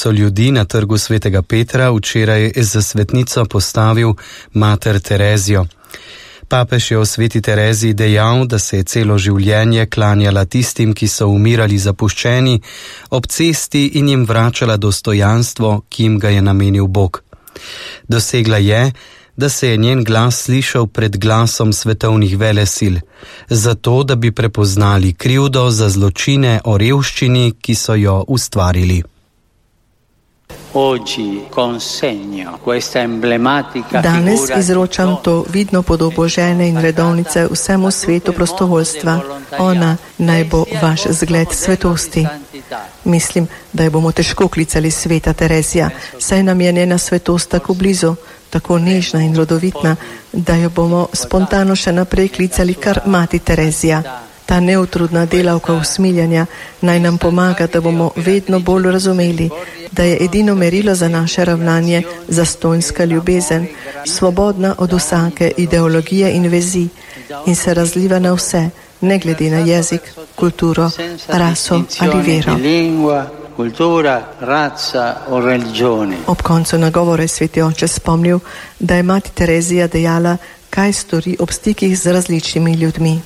so ljudi na trgu Svetega Petra včeraj za svetnico postavil mater Terezijo. Papež je o sveti Tereziji dejal, da se je celo življenje klanjala tistim, ki so umirali zapuščeni ob cesti in jim vračala dostojanstvo, ki jim ga je namenil Bog. Dosegla je, da se je njen glas slišal pred glasom svetovnih velesil, zato da bi prepoznali krivdo za zločine o revščini, ki so jo ustvarili. Danes izročam to vidno podobo žene in redovnice vsemu svetu prostovoljstva. Ona naj bo vaš zgled svetosti. Mislim, da jo bomo težko klicali sveta Terezija, saj nam je njena svetost tako blizu, tako nežna in rodovitna, da jo bomo spontano še naprej klicali kar mati Terezija. Ta neutrudna delavka usmiljanja naj nam pomaga, da bomo vedno bolj razumeli, da je edino merilo za naše ravnanje zastonjska ljubezen, svobodna od vsake ideologije in vezi in se razliva na vse, ne glede na jezik, kulturo, raso ali vero. Ob koncu nagovora je sveti oče spomnil, da je mati Terezija dejala, kaj stori ob stikih z različnimi ljudmi.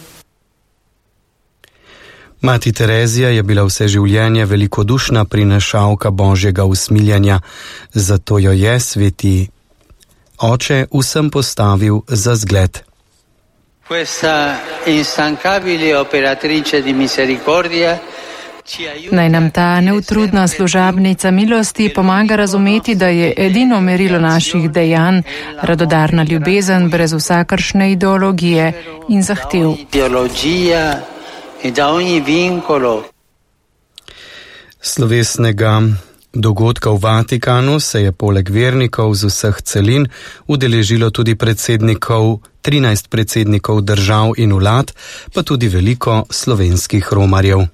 Mati Terezija je bila vse življenje velikodušna prinašalka Božjega usmiljanja, zato jo je sveti oče vsem postavil za zgled. Naj nam ta neutrudna služabnica milosti pomaga razumeti, da je edino merilo naših dejanj radodarna ljubezen brez vsakršne ideologije in zahtev. Slovesnega dogodka v Vatikanu se je poleg vernikov z vseh celin udeležilo tudi 13 predsednikov držav in vlad, pa tudi veliko slovenskih romarjev.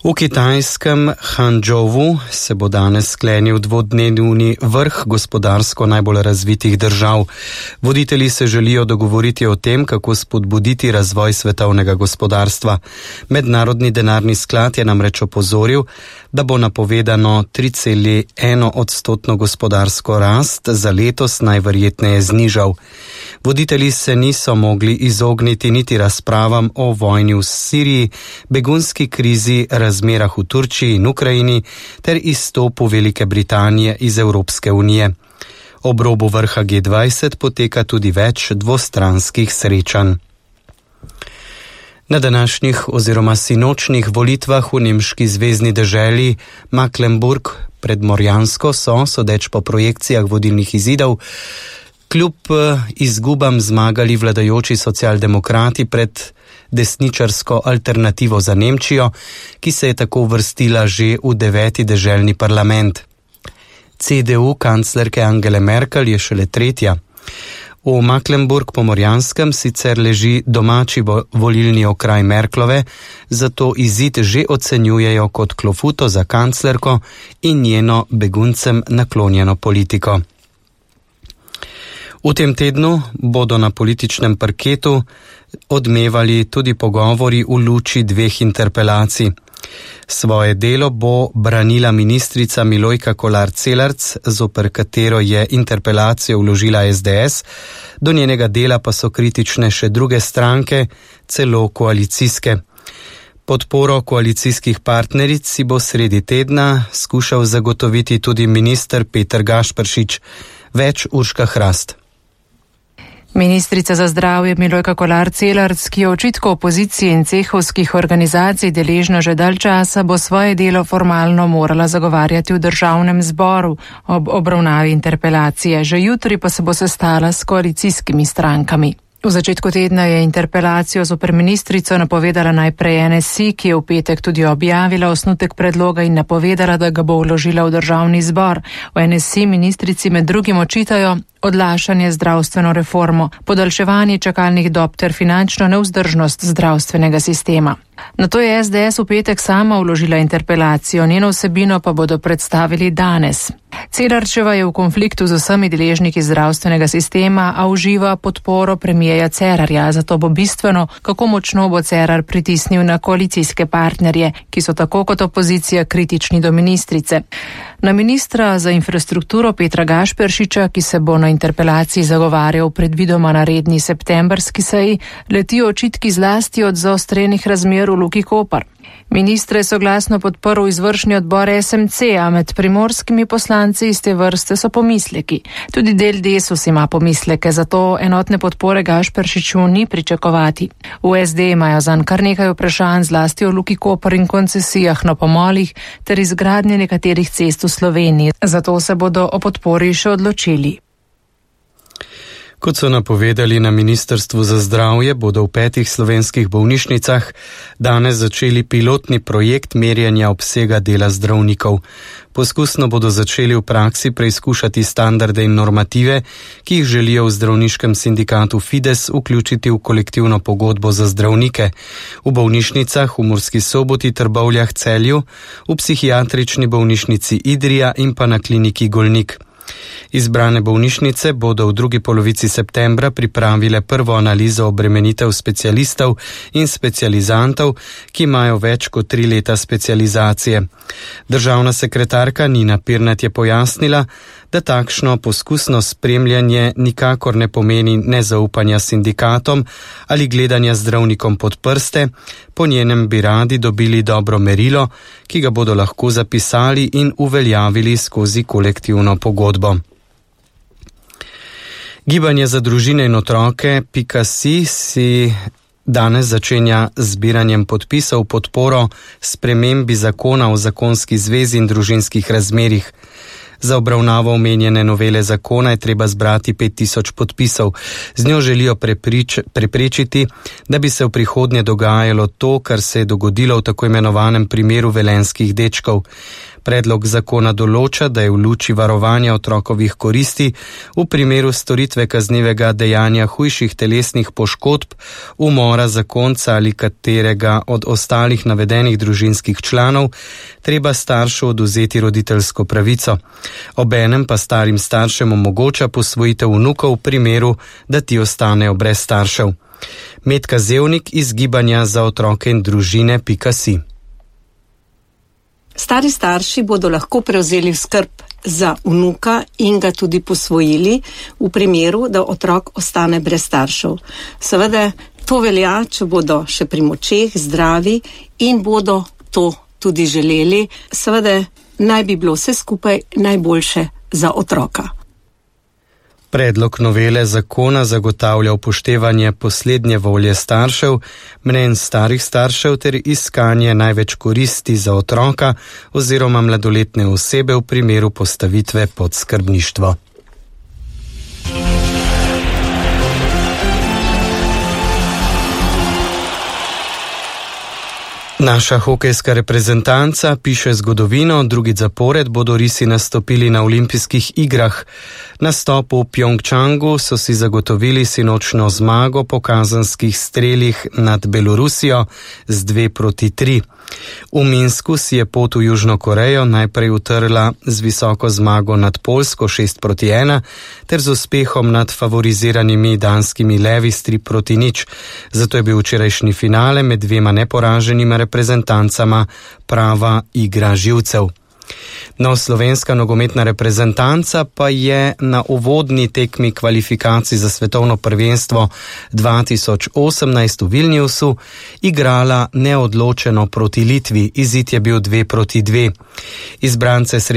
V kitajskem Hangzhouvu se bo danes sklenil dvodnevni vrh gospodarsko najbolj razvitih držav. Voditelji se želijo dogovoriti o tem, kako spodbuditi razvoj svetovnega gospodarstva. Mednarodni denarni sklad je namreč opozoril, da bo napovedano 3,1% gospodarsko rast za letos najverjetneje znižal. Voditelji se niso mogli izogniti niti razpravam o vojni v Siriji, begunski krizi, razmerah v Turčiji in Ukrajini ter izstopu Velike Britanije iz Evropske unije. Ob robu vrha G20 poteka tudi več dvostranskih srečanj. Na današnjih oziroma sinočnih volitvah v nemški zvezni deželi Mecklenburg predmorjansko so, sodeč po projekcijah vodilnih izidov, kljub izgubam zmagali vladajoči socialdemokrati pred desničarsko alternativo za Nemčijo, ki se je tako uvrstila že v 9. deželni parlament. CDU kanclerke Angele Merkel je šele 3. V Mecklenburg-Pomorjanskem sicer leži domači volilni okraj Merklove, zato izid že ocenjujejo kot klofuto za kanclerko in njeno beguncem naklonjeno politiko. V tem tednu bodo na političnem parketu odmevali tudi pogovori v luči 2 interpelacij. Svoje delo bo branila ministrica Milojka Kolar Celarc, zoper katero je interpelacijo vložila SDS, do njenega dela pa so kritične še druge stranke, celo koalicijske. Podporo koalicijskih partneric si bo sredi tedna skušal zagotoviti tudi minister Peter Gašperšič. Več Urška Hrast. Ministrica za zdravje Milojka Kolar Celarc, ki je očitkov opozicije in cehovskih organizacij deležna že dalj časa, bo svoje delo formalno morala zagovarjati v državnem zboru ob obravnavi interpelacije. Že jutri pa se bo sestala s koalicijskimi strankami. V začetku tedna je interpelacijo zoper ministrico napovedala najprej NSI, ki je v petek tudi objavila osnutek predloga in napovedala, da ga bo vložila v državni zbor. V NSI ministrici med drugim očitajo odlašanje zdravstveno reformo, podaljševanje čakalnih dob ter finančno nevzdržnost zdravstvenega sistema. Nato je SDS v petek sama vložila interpelacijo, njeno vsebino pa bodo predstavili danes. Celarčeva je v konfliktu z vsemi deležniki zdravstvenega sistema, a uživa podporo premijeja Cerarja, zato bo bistveno, kako močno bo Cerar pritisnil na koalicijske partnerje, ki so tako kot opozicija kritični do ministrice. Na ministra za infrastrukturo Petra Gašperšiča, ki se bo na interpelaciji zagovarjal predvidoma na redni septembrski seji, letijo očitki zlasti od zaostrenih razmer v Luki Koper. Ministre je soglasno podprl izvršni odbor SMC, a med primorskimi poslanci iz te vrste so pomisleki. Tudi del Desus ima pomisleke, zato enotne podpore Gašperšiču ni pričakovati. V SD imajo zanj kar nekaj vprašanj, zlasti o Luki Koper in koncesijah na pomolih ter izgradnje nekaterih cest v Sloveniji. Zato se bodo o podpori še odločili. Kot so napovedali na Ministrstvu za zdravje, bodo v 5 slovenskih bolnišnicah danes začeli pilotni projekt merjenja obsega dela zdravnikov. Poskusno bodo začeli v praksi preizkušati standarde in normative, ki jih želijo v zdravniškem sindikatu Fides vključiti v kolektivno pogodbo za zdravnike. V bolnišnicah v Murski Soboti, Trbovljah, Celju, v psihiatrični bolnišnici Idrija in pa na kliniki Golnik. Izbrane bolnišnice bodo v drugi polovici septembra pripravile prvo analizo obremenitev specialistov in specializantov, ki imajo več kot 3 leta specializacije. Državna sekretarka Nina Pirnat je pojasnila, da takšno poskusno spremljanje nikakor ne pomeni nezaupanja sindikatom ali gledanja zdravnikom pod prste, po njenem bi radi dobili dobro merilo, ki ga bodo lahko zapisali in uveljavili skozi kolektivno pogodbo. Gibanje za družine in otroke .si danes začenja zbiranjem podpisov podporo spremembi zakona o zakonski zvezi in družinskih razmerjih. Za obravnavo omenjene novele zakona je treba zbrati 5000 podpisov. Z njo želijo preprečiti, da bi se v prihodnje dogajalo to, kar se je dogodilo v tako imenovanem primeru velenjskih dečkov. Predlog zakona določa, da je v luči varovanja otrokovih koristi v primeru storitve kaznivega dejanja hujših telesnih poškodb, umora zakonca ali katerega od ostalih navedenih družinskih članov, treba staršu odvzeti roditeljsko pravico. Obenem pa starim staršem omogoča posvojitev vnukov v primeru, da ti ostanejo brez staršev. Metka Zevnik iz Gibanja za otroke in družine .si. Stari starši bodo lahko prevzeli skrb za vnuka in ga tudi posvojili v primeru, da otrok ostane brez staršev. Seveda to velja, če bodo še pri močeh, zdravi in bodo to tudi želeli. Seveda naj bi bilo vse skupaj najboljše za otroka. Predlog novele zakona zagotavlja upoštevanje poslednje volje staršev, mnenj starih staršev ter iskanje največ koristi za otroka oziroma mladoletne osebe v primeru postavitve pod skrbništvo. Naša hokejska reprezentanca piše zgodovino, drugič zapored bodo risi nastopili na olimpijskih igrah. Nastop v Pjongčangu so si zagotovili sinočno zmago po kazenskih strelih nad Belorusijo z 2-3. V Minsku si je pot v Južno Korejo najprej utrla z visoko zmago nad Poljsko 6-1 ter z uspehom nad favoriziranimi danskimi levi s 3-0. Zato je bil včerajšnji finale med dvema neporaženima reprezentancama prava igra živcev. No, slovenska nogometna reprezentanca pa je na uvodni tekmi kvalifikacij za svetovno prvenstvo 2018 v Vilniusu igrala neodločeno proti Litvi. Izid je bil 2-2. Izbrance